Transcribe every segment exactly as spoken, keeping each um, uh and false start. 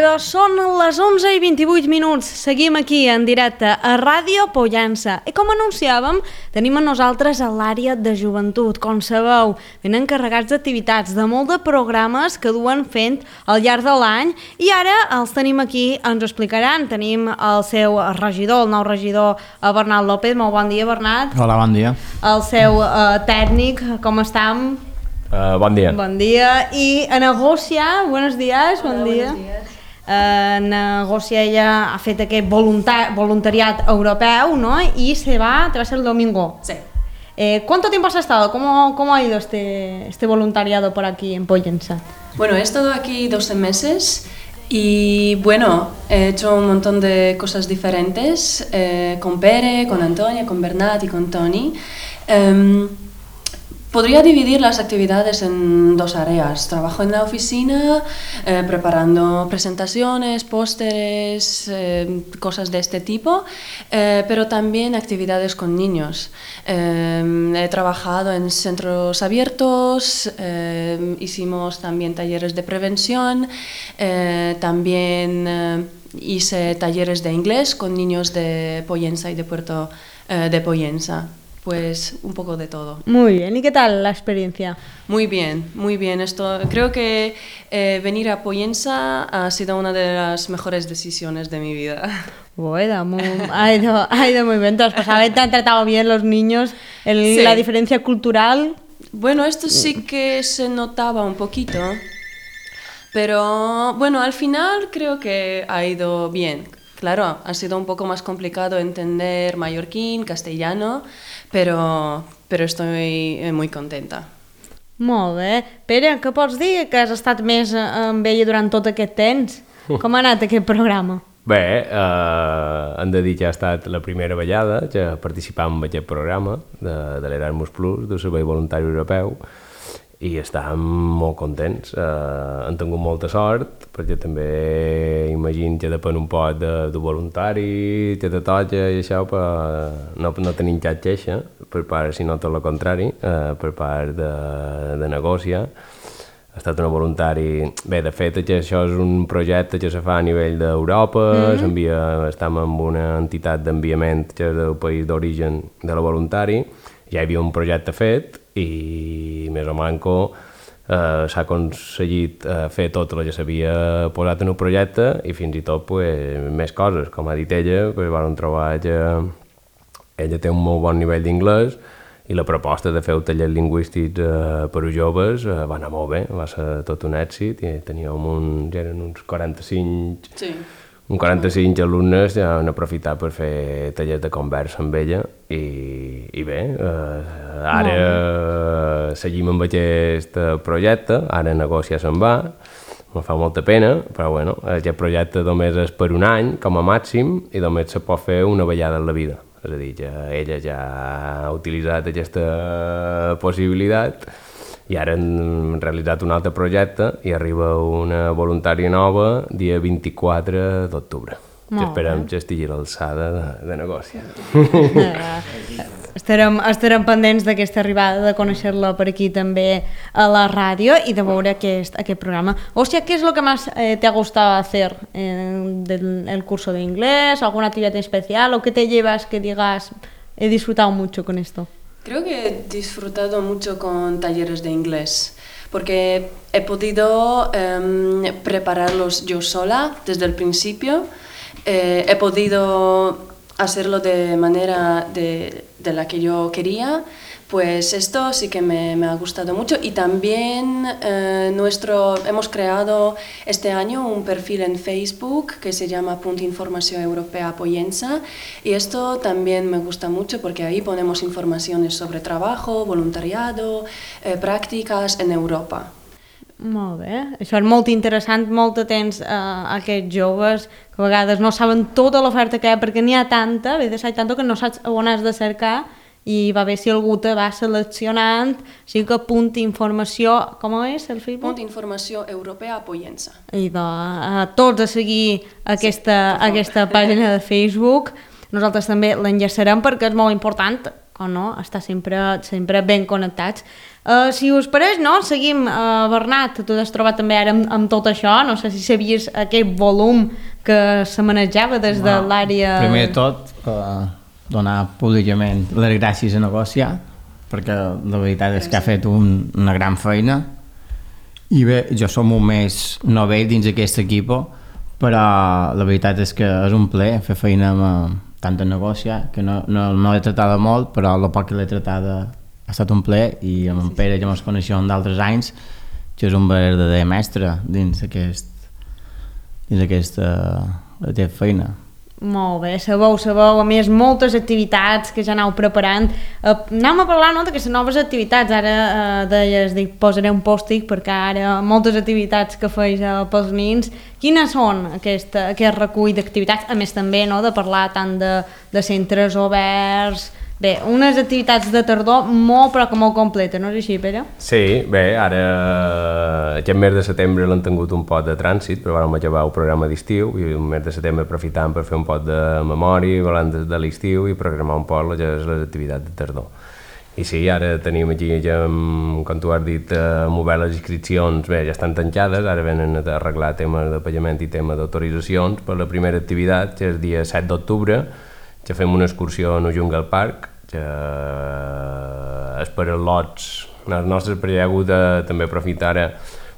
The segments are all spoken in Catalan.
Ràdio, són les onze i vint-i-vuit minuts. Seguim aquí en directe a Ràdio Pollença. I com anunciàvem, tenim a nosaltres a l'àrea de joventut. Com sabeu, venen carregats d'activitats, de molt de programes que duen fent al llarg de l'any i ara els tenim aquí, ens ho explicaran. Tenim el seu regidor, el nou regidor, Bernat López. Molt bon dia, Bernat. Hola, bon dia. El seu uh, tècnic, com estem? Uh, bon dia. Bon dia. I a Negòcia, buenos días, Hola, bon dia. buenos días. Uh, Negòcia ella ha fet aquest voluntar voluntariat europeu, ¿no? Y se va, te va a ser el domingo. Sí. Eh, ¿Cuánto tiempo has estado? ¿Cómo, cómo ha ido este, este voluntariado por aquí en Pollença? Bueno, he estado aquí doce meses y bueno, he hecho un montón de cosas diferentes eh, con Pere, con Antonia, con Bernat y con Toni. Um, Podría dividir las actividades en dos áreas. Trabajo en la oficina eh, preparando presentaciones, pósteres, eh, cosas de este tipo, eh, pero también actividades con niños. Eh, he trabajado en centros abiertos, eh, hicimos también talleres de prevención, eh, también eh, hice talleres de inglés con niños de Pollença y de Puerto eh, de Pollença. Pues un poco de todo. Muy bien, ¿y qué tal la experiencia? Muy bien, muy bien. Esto, creo que eh, venir a Pollença ha sido una de las mejores decisiones de mi vida. Bueno, muy, ha, ido, ha ido muy bien. ¿Te has pasado? ¿Te han tratado bien los niños? El, Sí. La diferencia cultural. Bueno, esto sí que se notaba un poquito, pero bueno, al final creo que ha ido bien. Claro, ha sido un poco más complicado entender mallorquín, castellano, pero, pero estoy eh, muy contenta. Molt bé. Pere, què pots dir? Que has estat més eh, amb ella durant tot aquest temps. Com ha anat aquest programa? Bé, eh, hem de dir que ha estat la primera vegada que participàvem en aquest programa de, de l'Erasmus Plus, del Servei Voluntari Europeu, i estàvem molt contents. Eh, hem tingut molta sort, perquè també imagino que depèn un poc de, de voluntari, que te toca i això, però no, no tenim cap queixa, per part, sinó tot el contrari, eh, per part de, de Negòcia. Ha estat una voluntari... Bé, de fet, que això és un projecte que se fa a nivell d'Europa, mm. s'envia, estem amb una entitat d'enviament que és del país d'origen de la voluntari, ja hi havia un projecte fet i més o manco eh, s'ha aconseguit eh, fer tot el que s'havia posat en un projecte i fins i tot pues, més coses. Com ha dit ella, pues, vam trobar que ella té un molt bon nivell d'inglès i la proposta de fer un taller lingüístic eh, per a joves eh, va anar molt bé, va ser tot un èxit i teníem un, ja eren uns quaranta-cinc... Sí. Un quaranta-cinc alumnes ja han aprofitat per fer tallers de conversa amb ella i, i bé, eh, ara eh, seguim amb aquest projecte, ara Negòcia se'n va, me fa molta pena, però bueno, aquest projecte només és per un any com a màxim i només se pot fer una vegada en la vida, és a dir, que ella ja ha utilitzat aquesta possibilitat i ara hem realitzat un altre projecte i arriba una voluntària nova dia vint-i-quatre d'octubre, que esperem que estigui a l'alçada de, de Negòcia. Eh, estarem, estarem pendents d'aquesta arribada, de conèixer-la per aquí també a la ràdio i de veure aquest, aquest programa. O sea, ¿qué es lo que más eh, te ha gustado hacer en del, el curso de inglés? ¿Alguna actividad especial? ¿O qué te llevas que digas, he disfrutado mucho con esto? Creo que he disfrutado mucho con talleres de inglés, porque he podido eh, prepararlos yo sola desde el principio, eh, he podido hacerlo de manera de, de la que yo quería, pues esto sí que me, me ha gustado mucho y también eh, nuestro, hemos creado este año un perfil en Facebook que se llama Punt Informació Europea Pollença y esto también me gusta mucho porque ahí ponemos informaciones sobre trabajo, voluntariado, eh, prácticas en Europa. Molt bé, això és molt interessant, molt atents a aquests joves que a vegades no saben tota l'oferta que hi ha perquè n'hi ha tanta, a vegades hi ha tanta que no saps on has de cercar i va bé si algú te va seleccionant, així que punt informació, com és el Facebook? Punt Informació Europea Pollença. I de, a tots a seguir aquesta, sí, aquesta pàgina de Facebook. Nosaltres també l'enllaçarem perquè és molt important com no, estar sempre, sempre ben connectats. Uh, si us pareix, no? Seguim. Uh, Bernat, tu t'has trobat també ara amb, amb tot això, no sé si sabies aquest volum que se manejava des de bueno, l'àrea... Primer de tot, uh, donar públicament les gràcies a Negociar, perquè la veritat és que ha fet un, una gran feina, i bé, jo som un mes novell dins aquest equip, però la veritat és que és un plaer fer feina amb tant a Negociar, que no, no, no l'he tratada molt, però el poc que l'he tratada ha estat un plaer, i amb en Pere ja ens coneixem d'altres anys, que és un verdader mestre dins aquest, dins aquesta, aquesta feina. Molt bé, sabeu, sabeu, a més moltes activitats que ja aneu preparant. Uh, anem a parlar no, d'aquestes noves activitats, ara uh, deies, dic, posaré un pòstic perquè ara moltes activitats que feis uh, pels nins. Quines són aquest, aquest recull d'activitats? A més també no, de parlar tant de, de centres oberts. Bé, unes activitats de tardor molt però que molt completes, no és així, Pere? Sí, bé, ara aquest mes de setembre l'han tingut un pot de trànsit, però vam acabar el programa d'estiu i el mes de setembre aprofitant per fer un pot de memòria, parlant de, de l'estiu i programar un pot les, les activitats de tardor. I sí, ara tenim aquí, ja, com tu has dit, amb obert les inscripcions, bé, ja estan tancades, ara venen a arreglar temes de pagament i temes d'autoritzacions per la primera activitat, que és el dia set d'octubre, que fem una excursió a Jungle Park, que és per als lots, els nostres, perquè hi ha hagut de, també aprofitar ara,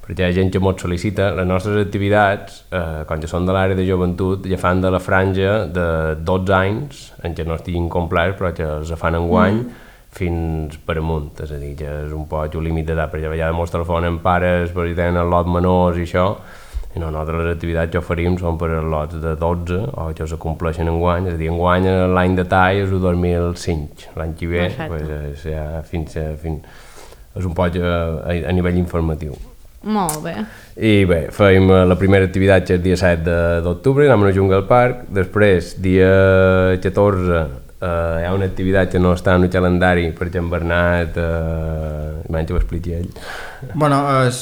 perquè hi ha gent que molt sol·licita, les nostres activitats, eh, quan ja són de l'àrea de joventut, ja fan de la franja de dotze anys, en què no estiguin complets, però que els fan enguany, mm. fins per amunt, és a dir, que és un poc un límit d'edat, perquè a vegades molts telefonen pares, perquè tenen els lots menors i això, i no, nosaltres les activitats que oferim són per als lots de dotze o que es compleixen enguany, és a dir, enguany l'any de tall és el dos mil cinc, l'any que ve pues, és, ja, fins, fins, és un poc a, a nivell informatiu. Molt bé. I bé, fèiem la primera activitat que és el dia set d'octubre, anem a Jungle Park, després dia catorze eh, hi ha una activitat que no està en el calendari perquè en Bernat, eh, menys ho expliqui ell. Bueno, és...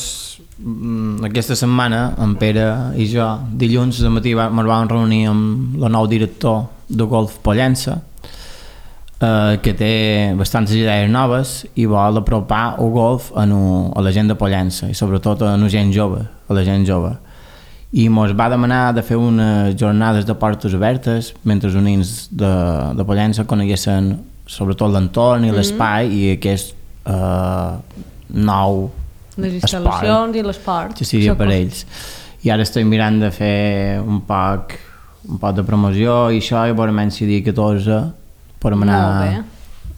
aquesta setmana, en Pere i jo, dilluns de matí ens vam reunir amb el nou director de Golf Pollença, eh, que té bastantes idees noves i vol apropar el golf a, no, a la gent de Pollença i sobretot a la gent jove, a la gent jove. I ens va demanar de fer unes jornades de portes obertes mentre els nens de, de Pollença coneguessin sobretot l'entorn i l'espai mm-hmm. i aquest eh, nou les instal·lacions esport, i l'esport que sigui per ells. I ara estic mirant de fer un poc un poc de promoció i això, i veurem si dia catorze podem anar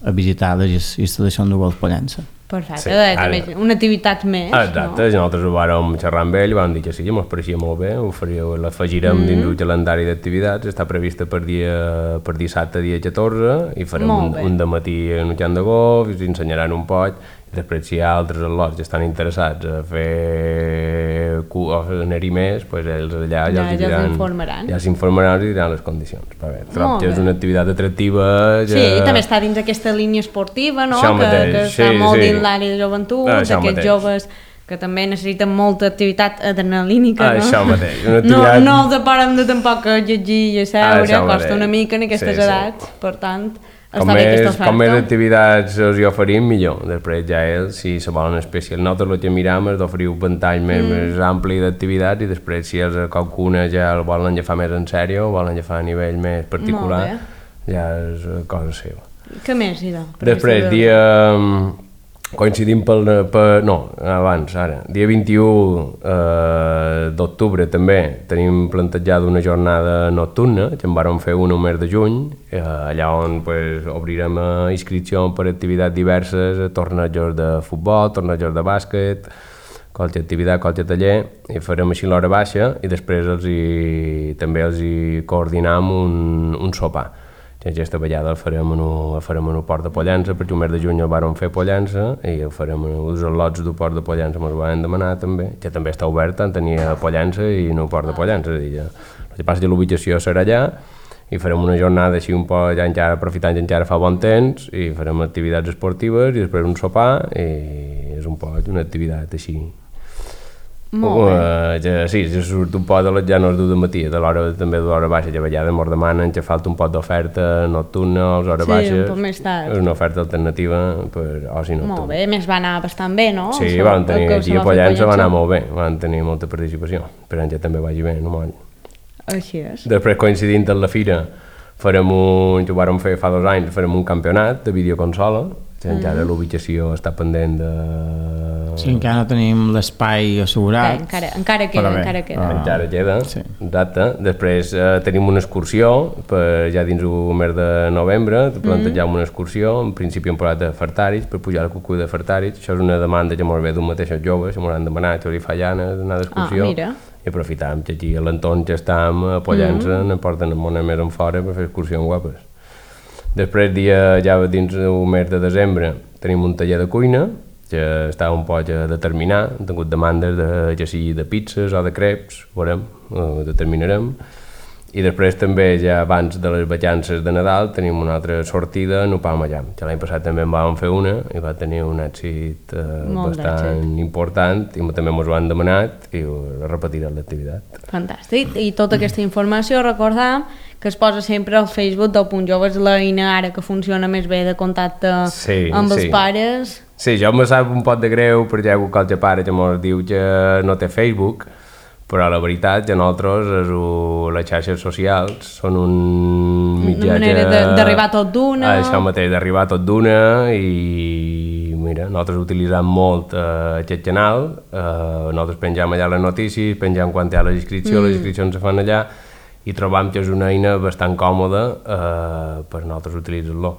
a visitar les instal·lacions de Golf Pollença. Perfecte, sí, ara, també una activitat més. Exacte, no? Nosaltres ho vàrem xerrar amb ell i vam dir que sí, que ens pareixia molt bé, ho faríeu, l'afegirem mm. dins el calendari d'activitats, està prevista per dia per dissabte, dia catorze, i farem un, un dematí en un camp de golf, i us ensenyaran un poc. Després, si hi ha altres al·lots que estan interessats a fer o a anar-hi més, doncs ells allà ja, ja, ja s'informaran. Ja s'informaran i diran les condicions. Però bé, trobo que és una activitat atractiva. Ja... Sí, i també està dins aquesta línia esportiva, no? Que, mateix, que està sí, molt sí. dins l'àrea de joventut, ah, d'aquests mateix. Joves que també necessiten molta activitat adrenalínica, ah, no? Això mateix. Una activitat... No, no els deparem de tampoc a llegir i a seure, ah, costa mateix. una mica en aquestes sí, edats, sí. per tant... Com més, com més activitats us hi oferim, millor. Després ja ells, si se volen especial, nosaltres el que miram és d'oferir un ventall més, mm. més ampli d'activitats i després si ells qualcuna ja el volen agafar més en sèrio o volen agafar a nivell més particular, ja és cosa seva. Què més hi ha? Després, dia... coincidim pel, per, no, abans, ara, dia vint-i-u eh, d'octubre també tenim plantejada una jornada nocturna, que en vàrem fer una al mes de juny, eh, allà on pues, obrirem inscripció per activitats diverses, tornejos de futbol, tornejos de bàsquet, qualque activitat, qualque taller, i farem així l'hora baixa i després els hi, també els hi coordinam un, un sopar. Aquesta vegada el farem en el port de Pollença, perquè el mes de juny el vàrem fer a Pollença i el farem en els al·lots del port de Pollença, ens ho van demanar també, que també està obert tant a Pollença i en el port de Pollença. És a dir, el que passa que l'ubicació serà allà i farem una jornada així un poc, ja encara aprofitant que encara fa bon temps, i farem activitats esportives i després un sopar, i és un poc una activitat així Molt bé. Uh, ja, sí, ja surt un pot de les ja no es du de matí, de l'hora també de l'hora baixa, ja a vegades ens demanen que falta un pot d'oferta nocturna a les hores Sí, baixes. un poc més tard. És una oferta alternativa per oci nocturn. Molt bé, més va anar bastant bé, no? Sí, Això, van tenir, el que aquí se a va fer Pollença va anar Pollença. molt bé, van tenir molta participació, esperem que també vagi bé, no moll. Així és. Després, coincidint amb la fira, farem un, que ho vàrem fer fa dos anys, farem un campionat de videoconsola, que encara l'ubicació està pendent de... Sí, encara no tenim l'espai Bé, assegurat. encara, encara queda, Però bé, encara queda. ah. Encara queda, Sí. exacte. Després eh, tenim una excursió, per, ja dins el mes de novembre, plantejam una excursió, en principi hem posat de Fartaris, per pujar la cuculla de Fartaris. Això és una demanda que molt bé d'un mateix els joves, que m'han demanat, que li fa llana d'anar d'excursió. Ah, mira. I aprofitam que aquí a l'entorn que estem a Pollença, mm -hmm. ne porten molt més en fora per fer excursions guapes. Després, dia, ja dins el mes de desembre, tenim un taller de cuina, que està un poc a determinar, hem tingut demandes de, ja sigui de pizzas o de creps, veurem, ho determinarem. I després també, ja abans de les vacances de Nadal, tenim una altra sortida en Upalmallam, que l'any passat també en vam fer una i va tenir un èxit eh, Molt bastant d'èxit. important i també ens ho han demanat i ho repetirem l'activitat. Fantàstic. I tota aquesta informació, recordam que es posa sempre al Facebook del Punt Joves, l'eina ara que funciona més bé de contacte Sí, amb els sí. pares. Sí, jo me sap un pot de greu perquè hi ha hagut qualque pare que ens diu que no té Facebook, però la veritat que nosaltres és un, les xarxes socials són un mitjà Una manera que- de- d'arribar tot d'una. Això mateix, d'arribar tot d'una i mira, nosaltres utilitzem molt eh, aquest canal, eh, nosaltres penjam allà les notícies, penjam quan hi ha les inscripcions, mm. les inscripcions se fan allà i trobam que és una eina bastant còmoda eh, per nosaltres utilitzar-lo.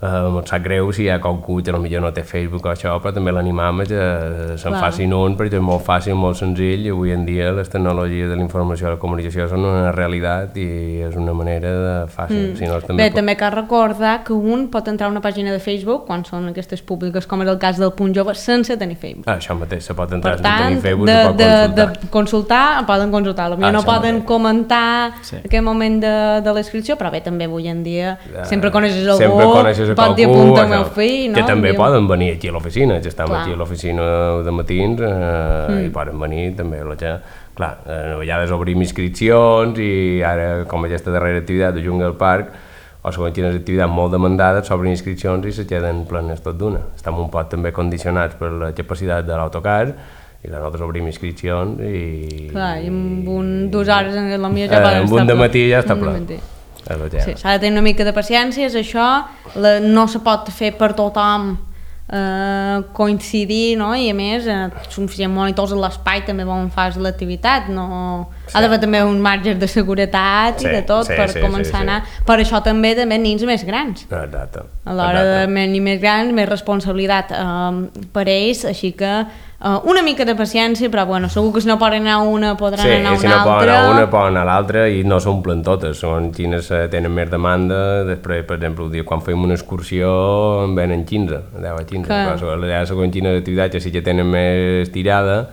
Uh, em sap greu si hi ha qualcú que potser no té Facebook o això, però també l'animam a que se'n Clar. facin un, perquè és molt fàcil, molt senzill, i avui en dia les tecnologies de la informació i la comunicació són una realitat i és una manera de fàcil. Mm. Si no, també Bé, també cal recordar que un pot entrar a una pàgina de Facebook, quan són aquestes públiques, com és el cas del Punt Jove, sense tenir Facebook. Ah, això mateix, se pot entrar Per sense tant, tenir Facebook, de, se pot de, consultar. de consultar, poden consultar. Potser Ah, no això poden mateix. comentar Sí. aquell moment de, de l'inscripció, però bé, també avui en dia Ah, sempre coneixes algú, sempre coneixes a pot dir qualcú, apunta al això. meu fill, no? Que també Diu- poden venir aquí a l'oficina, que estem Clar. aquí a l'oficina de matins eh, Mm. i poden venir també. La que, clar, eh, a vegades obrim inscripcions i ara, com aquesta darrera activitat de Jungle Park, o segons quines activitats molt demandades, s'obren inscripcions i se queden plenes tot d'una. Estem un poc també condicionats per la capacitat de l'autocar i clar, nosaltres obrim inscripcions i... Clar, i amb un, dues hores en la millor ja Eh, poden amb estar un de ple. matí ja està Un ple. dematí. És el Sí, tema. s'ha de tenir una mica de paciència, és això, la, no se pot fer per tothom eh, coincidir, no? I a més, eh, suficient monitors a l'espai també on fas l'activitat, no... Sí. Ha d'haver també un marge de seguretat Sí, i de tot sí, per sí, començar sí, sí. a anar. Per això també també nins més grans. Exacte. A l'hora de Exacte. nins més grans, més responsabilitat eh, per ells, així que eh, una mica de paciència, però bueno, segur que si no poden anar a una podran Sí, anar a si una no poden altra. anar a una, poden anar a l'altra i no s'omplen totes, són quines eh, tenen més demanda, després, per exemple, el dia quan fem una excursió en venen quinze, deu a quinze, Clar. però allà segons quines activitats que sí que tenen més tirada,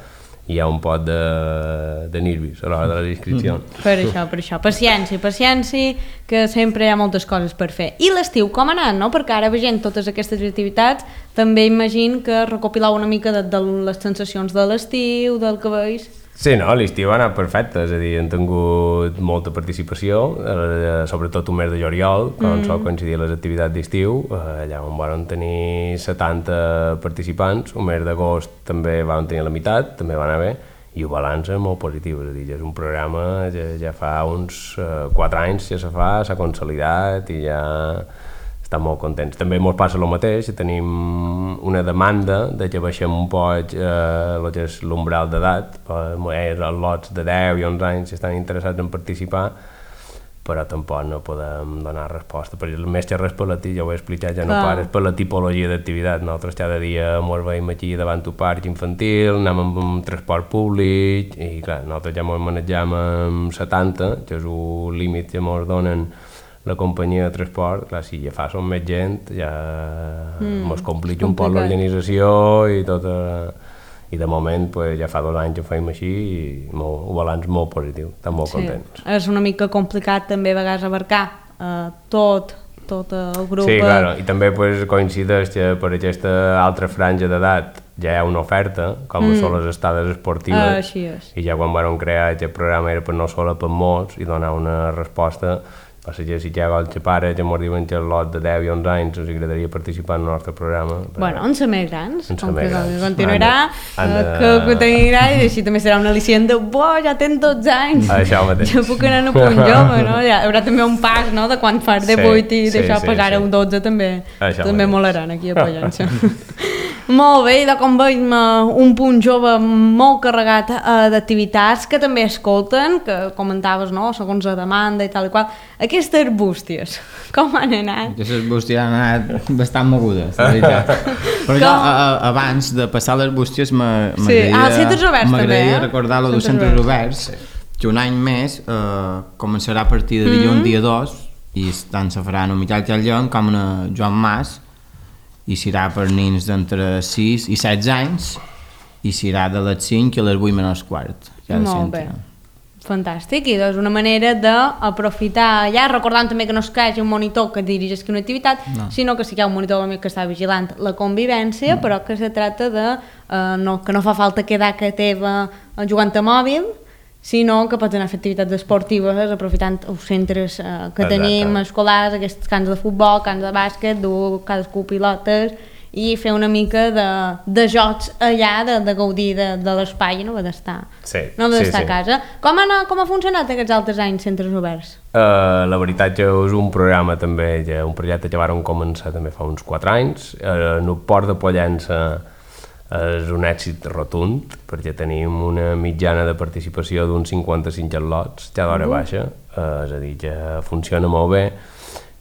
hi ha un pot de, de nervis a l'hora de les inscripcions. Per això, per això. Paciència, paciència, que sempre hi ha moltes coses per fer. I l'estiu com ha anat, no? Perquè ara veient totes aquestes activitats, també imagino que recopilau una mica de, de les sensacions de l'estiu, del que veus. Sí, no, l'estiu ha anat perfecte, és a dir, hem tingut molta participació, eh, sobretot un mes de juliol, quan mm. sol coincidir les activitats d'estiu, eh, allà on van tenir setanta participants, un mes d'agost també van tenir la meitat, també va anar bé, i el balanç és molt positiu, és a dir, és un programa que ja fa uns eh, quatre anys que se fa, s'ha consolidat i ja estan molt contents. També ens passa el mateix, tenim una demanda de que baixem un poc eh, el que és l'umbral d'edat, eh, els lots de deu i onze anys estan interessats en participar, però tampoc no podem donar resposta, perquè el més que res per la ja ho he explicat, ja no Clar. pares per la tipologia d'activitat. Nosaltres cada dia ens veiem aquí davant un parc infantil, anem amb un transport públic, i clar, nosaltres ja ens manegem amb setanta, que és un límit que ens donen la companyia de transport. Clar, si ja fa som més gent, ja Mm, mos complica és un poc complicat. l'organització i tot, eh, i de moment pues, ja fa dos anys que ho feim així i molt, un balanç molt positiu, estem molt contents. És una mica complicat també a vegades abarcar eh, tot, tot el grup. Sí, claro, i també pues, coincideix que per aquesta altra franja d'edat ja hi ha una oferta, com mm. són les estades esportives, ah, així és. I ja quan vam crear aquest programa era per no sola per molts i donar una resposta. Passa que si hi ha els pares que ens diuen que el lot de deu i onze anys us agradaria participar en el nostre programa. Bueno, en ser més grans, en com que grans. Continuarà, han de, han de... que, que t'agrada i així també serà una al·licient de bo, ja tens dotze anys, això mateix. Ja puc anar a punt jove, no? Ja, hi haurà també un pas, no?, de quan fas de vuit i sí, d'això sí, passar sí. a un dotze també, això també molaran aquí a Pollença. Molt bé, i de com veiem un punt jove molt carregat uh, d'activitats que també escolten, que comentaves, no?, segons la demanda i tal i qual. Aquestes bústies, com han anat? Aquestes bústies han anat bastant mogudes, la veritat. Però jo, a, a, abans de passar les bústies, m'agradaria sí. ah, eh? recordar-lo dels centres oberts, que un any més eh, començarà a partir de dilluns, mm -hmm. dia dos, i tant se farà en un Miquel Callon com en Joan Mas, i serà per nins d'entre sis i setze anys, i serà de les cinc a les vuit menys quart. Molt bé. Fantàstic, i és una manera d'aprofitar ja, recordant també que no és que hi hagi un monitor que dirigeix una activitat, no. sinó que sí que hi ha un monitor que està vigilant la convivència, mm. però que se tracta de eh, no, que no fa falta quedar a casa teva jugant a mòbil, sinó que pots anar a fer activitats esportives aprofitant els centres eh, que Exacte. tenim escolars, aquests camps de futbol, camps de bàsquet, dur cadascú pilotes i fer una mica de, de jocs allà, de, de gaudir de, de l'espai, no d'estar sí, no d'estar sí, a casa. Sí. Com, ha, com ha funcionat aquests altres anys centres oberts? Uh, la veritat que és un programa també, ja, un projecte que vàrem començar també fa uns quatre anys. Uh, en el Port de Pollença és un èxit rotund, perquè tenim una mitjana de participació d'uns cinquanta-cinc lots, ja d'hora uh. baixa, uh, és a dir, que funciona molt bé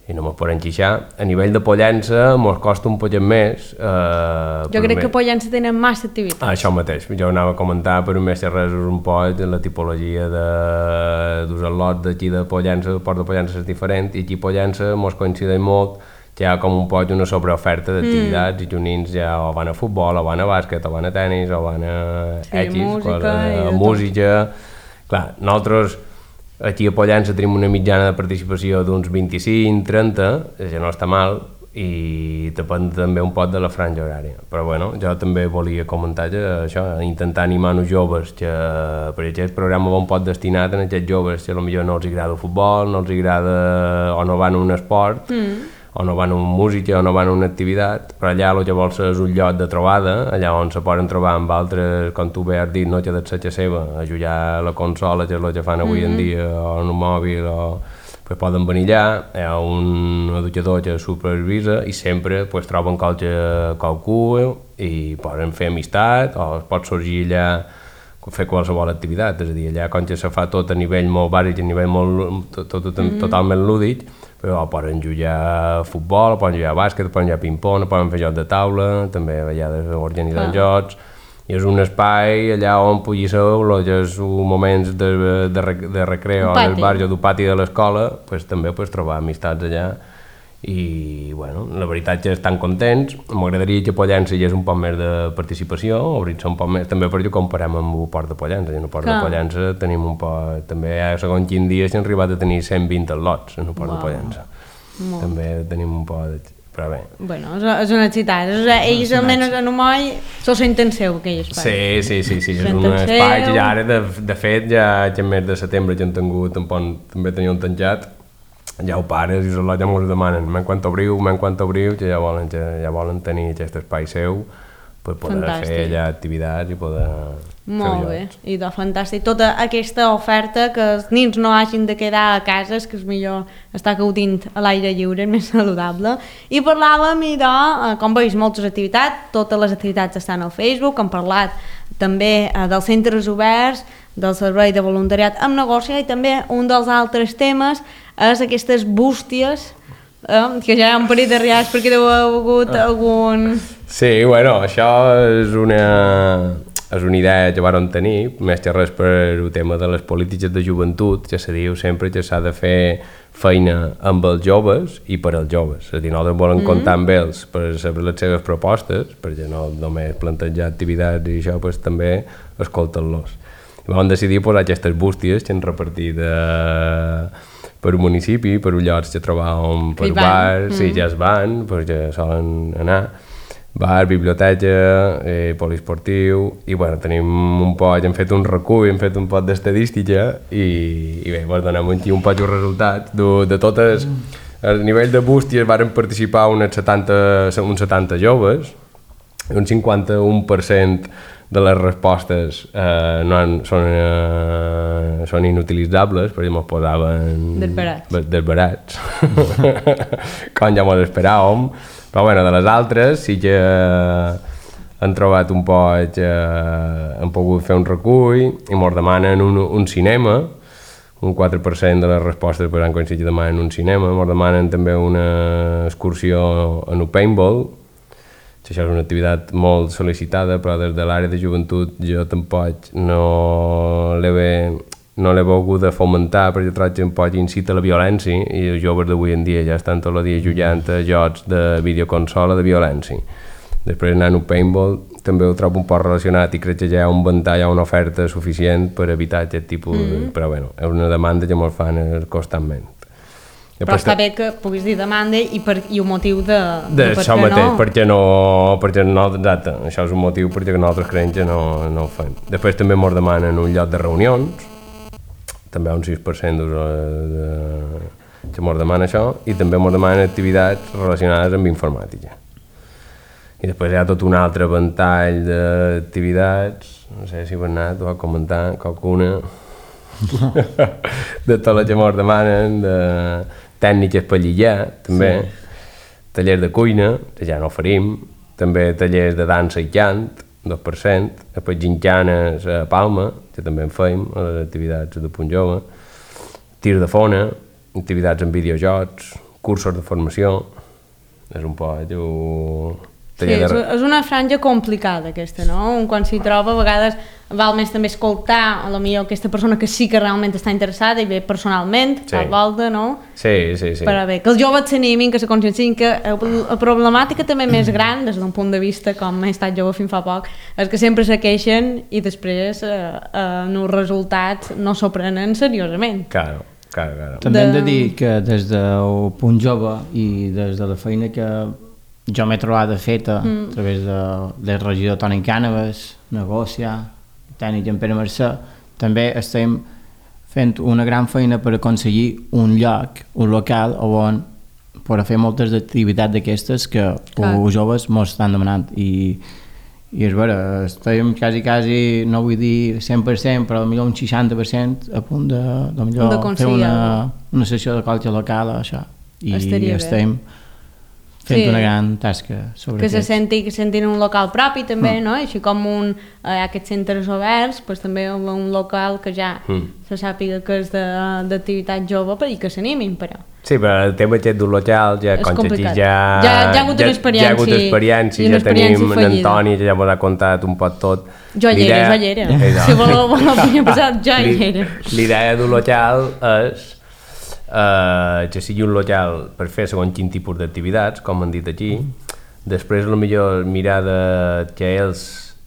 i no mos podem queixar. A nivell de Pollença mos costa un poquet més. Eh, jo crec que a Pollença tenen massa activitats. Ah, això mateix, jo anava a comentar, però més que res és un poc la tipologia de dos lots d'aquí de Pollença, el Port de Pollença és diferent, i aquí a Pollença mos coincideix molt que hi ha com un poc una sobreoferta d'activitats mm. i que uns nins ja o van a futbol, o van a bàsquet, o van a tenis, o van a sí, X, música, cosa, a música. Clar, nosaltres aquí a Pollença tenim una mitjana de participació d'uns vint-i-cinc trenta, que no està mal, i depèn també un poc de la franja horària. Però bueno, jo també volia comentar que això, intentar animar els joves, que per aquest programa va un poc destinat a aquests joves que potser no els agrada el futbol, no els agrada o no van a un esport, mm. o no van a una música o no van a una activitat, però allà el que vols és un lloc de trobada, allà on se poden trobar amb altres, com tu bé has dit, no que de ser seva, a jugar a la consola, que és el que fan avui mm-hmm. en dia, o en un mòbil, o pues poden venir allà, hi ha un educador que supervisa i sempre pues, troben qualque, qualcú i poden fer amistat, o es pot sorgir allà fer qualsevol activitat, és a dir, allà com que se fa tot a nivell molt bàsic, a nivell molt, tot, tot, tot, mm-hmm. totalment lúdic, però poden jugar a futbol, poden jugar a bàsquet, poden jugar a ping-pong, poden fer jocs de taula, també a vegades organitzen ah. jocs, i és un espai allà on pugui ser els moments de, de, de recreo en el barri o del pati de l'escola, pues, també pots trobar amistats allà. I bueno, la veritat és que estan contents. M'agradaria que Pollença hi hagués un poc més de participació, obrir-se un poc més, també perquè ho comparem amb el Port de Pollença. En el Port Clar. de Pollença tenim un poc, també segons quin dia s'han arribat a tenir cent vint lots en el Port wow. de Pollença. Molt. També tenim un poc de... però bé. Bueno, és un excitat. Ells almenys en un moll s'ho senten seu, aquell espai. Sí, sí, sí, sí. és un espai que ja ara, de, de fet, ja en mes de setembre ja han tingut, també tenien tancat, ja ho pares i els ja mos demanen, men quan obriu, men quan obriu, que ja volen, ja, ja volen tenir aquest espai seu per poder fantàstic. fer allà activitats i poder molt bé, i de fantàstic. Tota aquesta oferta, que els nins no hagin de quedar a casa, és que és millor estar gaudint a l'aire lliure, és més saludable. I parlàvem, i de, com veus, moltes activitats, totes les activitats estan al Facebook, hem parlat també eh, dels centres oberts, del servei de voluntariat amb negoci, i també un dels altres temes és aquestes bústies, eh, que ja hi ha un parell de rials perquè deu haver hagut algun... Sí, bueno, això és una, és una idea que vam tenir, més que res per el tema de les polítiques de joventut, que se diu sempre que s'ha de fer feina amb els joves i per als joves. És a dir, nosaltres volem mm-hmm. comptar amb ells per saber les seves propostes, perquè no només plantejar activitats i això, pues, també escoltar-los. I vam decidir posar aquestes bústies que han repartit eh, per un municipi, per llocs que trobàvem per bars, mm. i ja es van, perquè solen anar, bar, biblioteca, eh, poliesportiu, i bueno, tenim un poc, hem fet un recull, hem fet un poc d'estadística i, i bé, vos donem aquí un poc els resultats de, de totes. A nivell de bústies varen participar unes setanta, uns setanta joves, un cinquanta-un per cent de les respostes eh, no han, són, eh, són inutilitzables, perquè ens posaven desbarats, desbarats. Com ja ens esperàvem, però bueno, de les altres sí que han trobat un poc, eh, han pogut fer un recull i ens demanen un, un cinema, un quatre per cent de les respostes per han coincidit demanen un cinema, ens demanen també una excursió en un paintball. Això és una activitat molt sol·licitada, però des de l'àrea de joventut jo tampoc no l'he no l'he volgut fomentar, perquè trobo que un poc incita a la violència i els joves d'avui en dia ja estan tot el dia jugant a jocs de videoconsola de violència. Després anant a un paintball també ho trobo un poc relacionat i crec que ja hi ha un ventall, hi ha una oferta suficient per evitar aquest tipus, mm -hmm. però bueno, és una demanda que ens fan constantment. Però està bé que puguis dir demanda i, per, i un motiu de, de, de per això què mateix, no. perquè no, perquè no, exacte, això és un motiu perquè nosaltres creiem que no, no ho fem. Després també ens demanen un lloc de reunions, també un sis per cent de, de, que ens demana això, i també ens demanen activitats relacionades amb informàtica. I després hi ha tot un altre ventall d'activitats, no sé si Bernat ho va comentar, qualcuna, de tot el que ens demanen, de tècniques per lligar, també, sí. Tallers de cuina, que ja no oferim, també tallers de dansa i cant, dos per cent, després gincanes a Palma, que també en feim, a les activitats de Punt Jove, tir de fona, activitats en videojocs, cursos de formació, és un poc... Jo... Sí, és, és una franja complicada aquesta, no? Quan s'hi troba a vegades val més també escoltar a lo millor aquesta persona que sí que realment està interessada i ve personalment, sí. Per volta, no? Sí, sí, sí. Per bé, que els joves s'animin, que se consciencin que la problemàtica també més gran, des d'un punt de vista com he estat jove fins fa poc, és que sempre se queixen i després eh, eh, els resultats no s'ho prenen seriosament. Claro. Claro, claro. També hem de dir que des del Punt Jove i des de la feina que jo m'he trobat feta mm. a través de, del regidor Toni Cànovas, Negòcia, tècnic en Pere Mercè, també estem fent una gran feina per aconseguir un lloc, un local on per fer moltes activitats d'aquestes que els joves ens estan demanant i, i és vera, estem quasi, quasi, no vull dir cent per cent, però potser un seixanta per cent a punt de, de, millor de fer una, una sessió de colxa local o això, i estaria estem bé. Fent sí. Una gran tasca sobre que aquest. se senti que sentin un local propi també, mm. no? Així com un, eh, aquests centres oberts, pues, també un local que ja mm. se sàpiga que és d'activitat jove per i que s'animin, però sí, però el tema aquest d'un local ja, és complicat. Ja, ja, ja ha hagut una experiència, ja, ja ha hagut experiència, ja tenim en Antoni que ja m'ho ha contat un poc tot. Jo hi era, jo hi era. Si voleu, voleu pensar, jo hi era. L'idea d'un local és Uh, que sigui un local per fer segons quin tipus d'activitats, com han dit aquí, després a lo millor mirar de que ells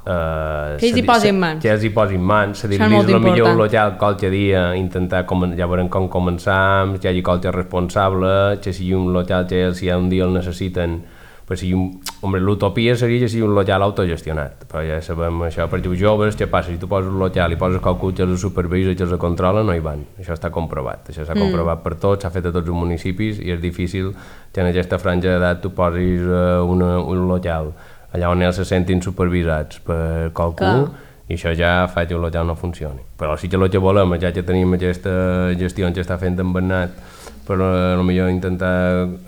uh, que ells hi posin mans, que ells hi posin mans, cedir-los a lo millor un local qualque dia, intentar, ja veurem com començam, que hi hagi qualque responsable, que sigui un local que ells si un dia el necessiten, però sigui un, home, l'utopia seria que sigui un local autogestionat, però ja sabem això, perquè els joves, què passa? Si tu poses un local i poses qualcú que els supervisa i que els controla, no hi van, això està comprovat, això s'ha mm. comprovat per tots, s'ha fet a tots els municipis i és difícil que en aquesta franja d'edat tu posis uh, una, un local allà on ells se sentin supervisats per qualcú, que... i això ja fa que el local no funcioni, però sí que el que volem, ja que tenim aquesta gestió que està fent en Bernat, per potser intentar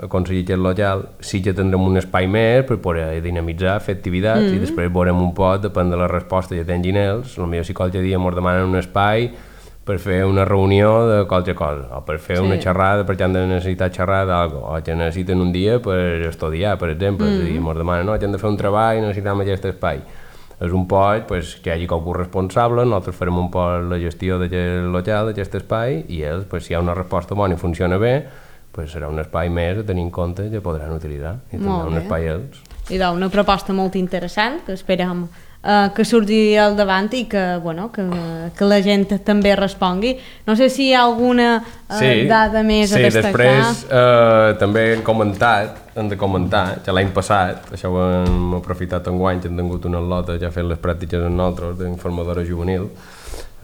aconseguir aquest local, sí que tindrem un espai més per poder dinamitzar, fer activitats mm -hmm. i després veurem un poc, depèn de la resposta que tinguin ells, potser si qualque dia ens demanen un espai per fer una reunió de qualque cosa, o per fer sí. una xerrada perquè han de necessitar xerrar d'algo, o que necessiten un dia per estudiar, per exemple, mm -hmm. és a dir, ens demanen, no, que han de fer un treball i necessitem aquest espai. És un poc pues, que hi hagi qualcú responsable, nosaltres farem un poc la gestió d'aquest local, d'aquest espai, i ells, pues, si hi ha una resposta bona i funciona bé, pues, serà un espai més a tenir en compte que podran utilitzar, i tindran un espai ells. I doncs, una proposta molt interessant, que esperem eh, que surti al davant i que, bueno, que, que la gent també respongui. No sé si hi ha alguna eh, sí, dada més sí, a destacar. Sí, després eh, també hem comentat, hem de comentar, que l'any passat, això ho hem aprofitat enguany, que hem tingut una lota ja fent les pràctiques amb nosaltres d'informadora juvenil.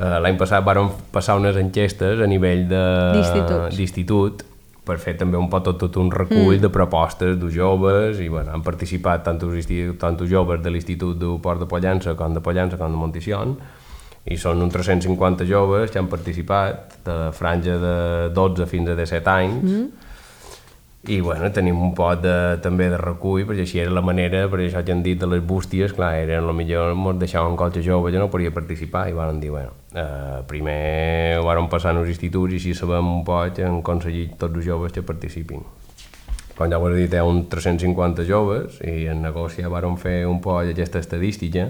Uh, l'any passat vàrem passar unes enquestes a nivell d'institut per fer també un pot tot, tot un recull mm. de propostes de joves i bueno, han participat tant els, tant els joves de l'Institut de Port de Pollença com de Pollença com de Monticion i són uns tres-cents cinquanta joves que han participat de la franja de dotze fins a disset anys mm. i bueno, tenim un pot de, també de recull, perquè així era la manera, per això que han dit de les bústies, clar, eren el millor ens deixaven qualque jove que no podia participar i van dir, bueno, eh, primer ho van passar als instituts i així sabem un poc que han aconseguit tots els joves que participin. Com ja ho he dit, hi ha uns tres-cents cinquanta joves i en negoci van fer un poc aquesta estadística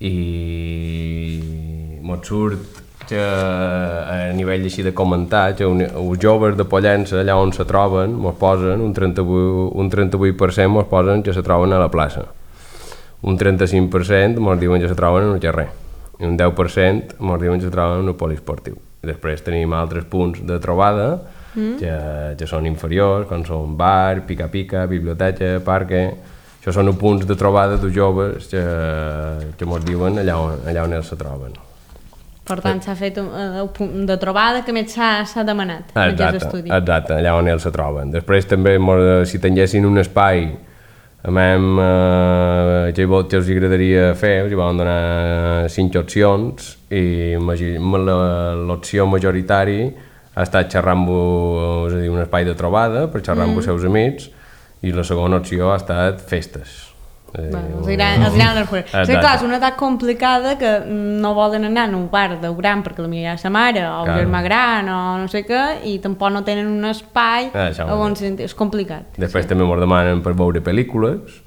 i mos surt que a nivell així de comentar que els joves de Pollença allà on se troben mos posen un trenta-vuit, un trenta-vuit per cent mos posen que se troben a la plaça, un trenta-cinc per cent mos diuen que se troben en el carrer i un deu per cent mos diuen que se troben en el poliesportiu. I després tenim altres punts de trobada mm. que, que són inferiors, com són bar, pica-pica, biblioteca, parque. Això són els punts de trobada de joves que, que mos diuen allà on, allà on ells se troben. Per tant, s'ha fet un, un punt de trobada que més s'ha demanat en aquests estudis. Exacte, allà on ells se troben. Després també, si tinguessin un espai amb eh, que els agradaria fer, els van donar cinc opcions i l'opció majoritària ha estat xerrar amb és a dir, un espai de trobada per xerrar amb mm. els seus amics i la segona opció ha estat festes. Bueno, els agrada anar fora. Sí, clar, és una edat complicada que no volen anar a un bar de gran perquè potser hi ha sa mare o el germà gran o no sé què i tampoc no tenen un espai on és complicat. Després sí. també ens demanen per veure pel·lícules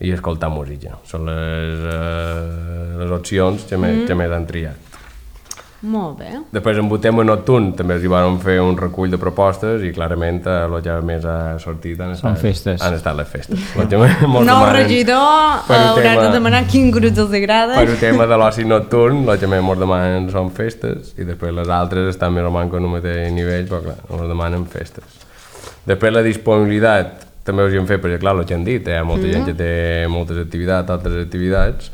i escoltar música. Són les, uh, les opcions que més, mm. que més han triat. Molt bé. Després en el tema nocturn també els hi van fer un recull de propostes i clarament el que més ha sortit han estat, festes. Han estat les festes. Nou regidor haurà de demanar quin grup els agrada. Per el tema de l'oci nocturn, el que més ens demanen són festes i després les altres estan més o menys en un mateix nivell, però clar, ens demanen festes. Després la disponibilitat també us hi hem fet, perquè clar, el que han dit, hi ha molta mm. gent que té moltes activitats, altres activitats,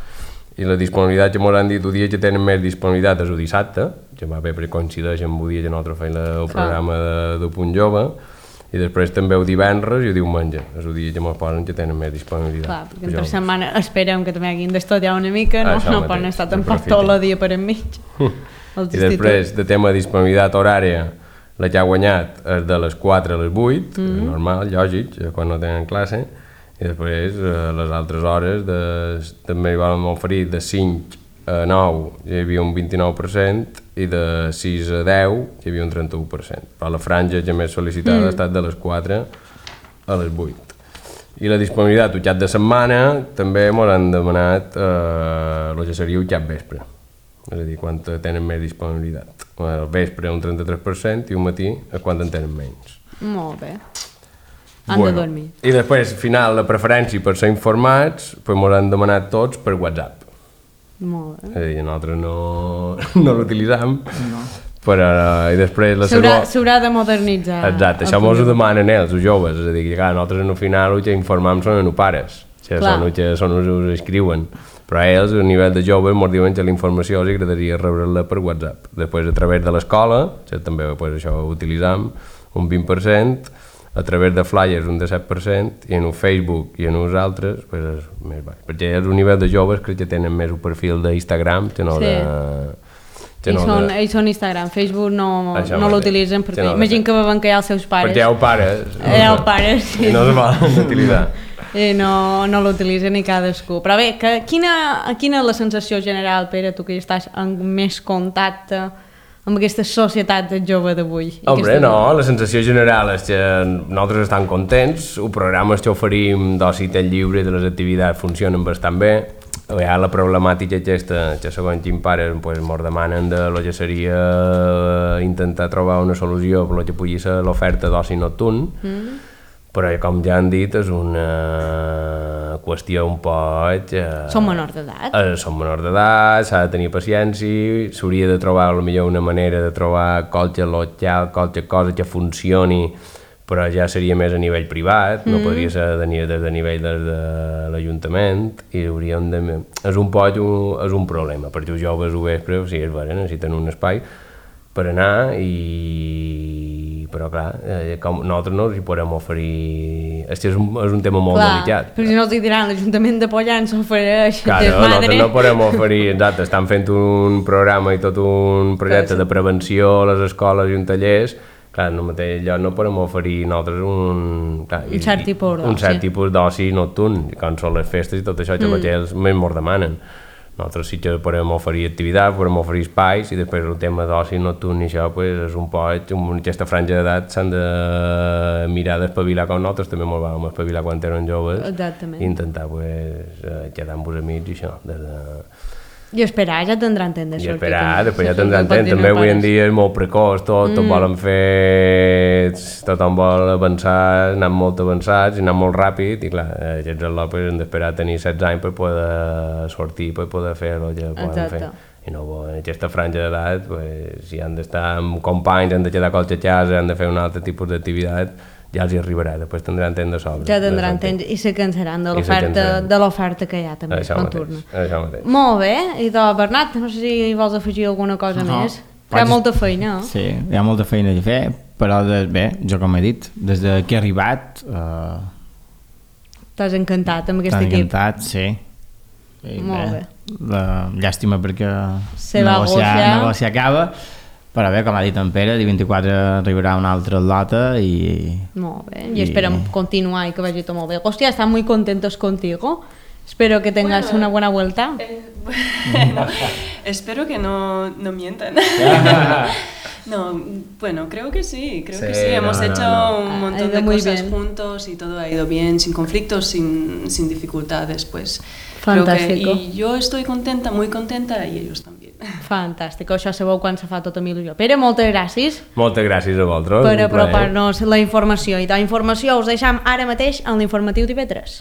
i la disponibilitat que ens han dit el dia que tenen més disponibilitat és el dissabte, que va bé perquè coincideix amb el dia que nosaltres feim el programa de, de Punt Jove, i després també el divendres i el diumenge, és el dia que ens posen que tenen més disponibilitat. Clar, perquè entre setmana esperem que també hagin d'estudiar una mica, no, no poden estar tampoc tot el dia per enmig. I després, de tema de disponibilitat horària, la que ha guanyat és de les quatre a les vuit, mm -hmm. normal, lògic, quan no tenen classe, i després eh, les altres hores de, també hi vam oferir de cinc a nou hi havia un vint-i-nou per cent i de sis a deu hi havia un trenta-u per cent, però la franja que més sol·licitada mm. ha estat de les quatre a les vuit. I la disponibilitat el cap de setmana també ens han demanat eh, el que seria el cap vespre, és a dir, quan tenen més disponibilitat. El vespre un trenta-tres per cent i un matí quan en tenen menys. Molt bé. Han bueno, de dormir. I després, al final, la preferència per ser informats, pues ens han demanat tots per WhatsApp. Molt bé. És a dir, nosaltres no, no l'utilitzem, no. però i després... S'haurà segona... de modernitzar. Exacte, això ens ho demanen ells, els joves, és a dir, que clar, nosaltres al final el que informem són els pares, que són els que són els que escriuen, però ells, a nivell de joves, ens diuen que la informació els agradaria rebre-la per WhatsApp. Després, a través de l'escola, que també pues, això ho utilitzem, un vint per cent, a través de flyers un disset per cent i en el Facebook i en els altres pues és més baix, perquè és un nivell de joves crec que tenen més un perfil d'Instagram que no sí. de... Que no I, són, de... I són Instagram, Facebook no, no l'utilitzen perquè no imagino que veuen que hi ha els seus pares perquè hi ha els pares hi ha els pares sí. i no es volen utilitzar i no, no l'utilitzen ni cadascú, però bé, que, quina, quina és la sensació general, Pere, tu que ja estàs en més contacte amb aquesta societat jove d'avui? Hombre, no, la sensació general és que nosaltres estem contents, el programa que oferim d'oci lliure de les activitats funcionen bastant bé, hi ha la problemàtica aquesta que segons quin pares pues, ens demanen de lo que seria intentar trobar una solució per lo que pugui ser l'oferta d'oci nocturn, mm. però com ja han dit és una qüestió un poc... Eh, Són menors d'edat. Eh, són menors d'edat, s'ha de tenir paciència, s'hauria de trobar potser una manera de trobar qualque local, qualque cosa que funcioni, però ja seria més a nivell privat, mm. no podria ser de, de, de nivell de, de l'Ajuntament, i hauríem de... És un poc un, és un problema, perquè els joves ho vespre, sí, és vera, necessiten un espai per anar i... però clar, eh, com nosaltres no els hi podem oferir... És que és un, és un tema molt clar, delicat. Però si no els hi diran, l'Ajuntament de Pollença ofereix claro, desmadre. Nosaltres no podem oferir, exacte, estan fent un programa i tot un projecte de prevenció a les escoles i un tallers, clar, en el mateix lloc no podem oferir nosaltres un... Clar, un cert tipus d'oci. Un cert tipus d'oci nocturn, com són les festes i tot això que mm. ells més mos demanen. Nosaltres sí que podem oferir activitats, podem oferir espais, i després el tema d'oci nocturn i això pues, és un poc, en aquesta franja d'edat s'han de mirar d'espavilar com nosaltres també molt vam espavilar quan eren joves. Exactament. I intentar pues, quedar amb els amics i això. Des de... I esperar, ja tindran temps de sortir. I esperar, també. després ja tindran temps. També avui en dia és molt precoç, tot, mm. tot volen fer... Tothom vol avançar, anar molt avançats i anar molt ràpid, i clar, aquests al·lopes han d'esperar tenir setze anys per poder sortir, per poder fer el que poden Exacte. fer. I no, en aquesta franja d'edat, pues, si han d'estar amb companys, han de quedar a qualque casa, han de fer un altre tipus d'activitat, ja els hi arribarà, després tindran temps de sobre. Ja tindran temps i se cansaran de l'oferta de l'oferta que hi ha també. Això mateix, això mateix. Molt bé, i doncs Bernat, no sé si vols afegir alguna cosa no, més. Hi ha molta feina, no? Sí, hi ha molta feina a fer, però de, bé, jo com he dit, des que he arribat... Eh, T'has encantat amb aquest equip. T'has encantat, sí. I molt bé. bé. La, llàstima perquè se negociar, negociar acaba, però bé, com ha dit en Pere, el vint-i-quatre arribarà una altra lota i... Molt bé, i, i esperem continuar y que vaya todo muy bien. Hostia, están muy contentos contigo. Espero que tengas bueno, una buena vuelta. Eh, bueno, espero que no, no mientan. No, bueno, creo que sí, creo sí, que sí. Hemos no, hecho no, no. un montón de cosas bien. juntos y todo ha ido bien, sin conflictos, sin, sin dificultades, pues. Fantástico. Que, y yo estoy contenta, muy contenta, y ellos también. Fantàstic, això sabeu quan se fa tota il·lusió. Pere, moltes gràcies. Moltes gràcies a vosaltres. Per apropar-nos la informació. I la informació us deixam ara mateix en l'informatiu d'I V tres.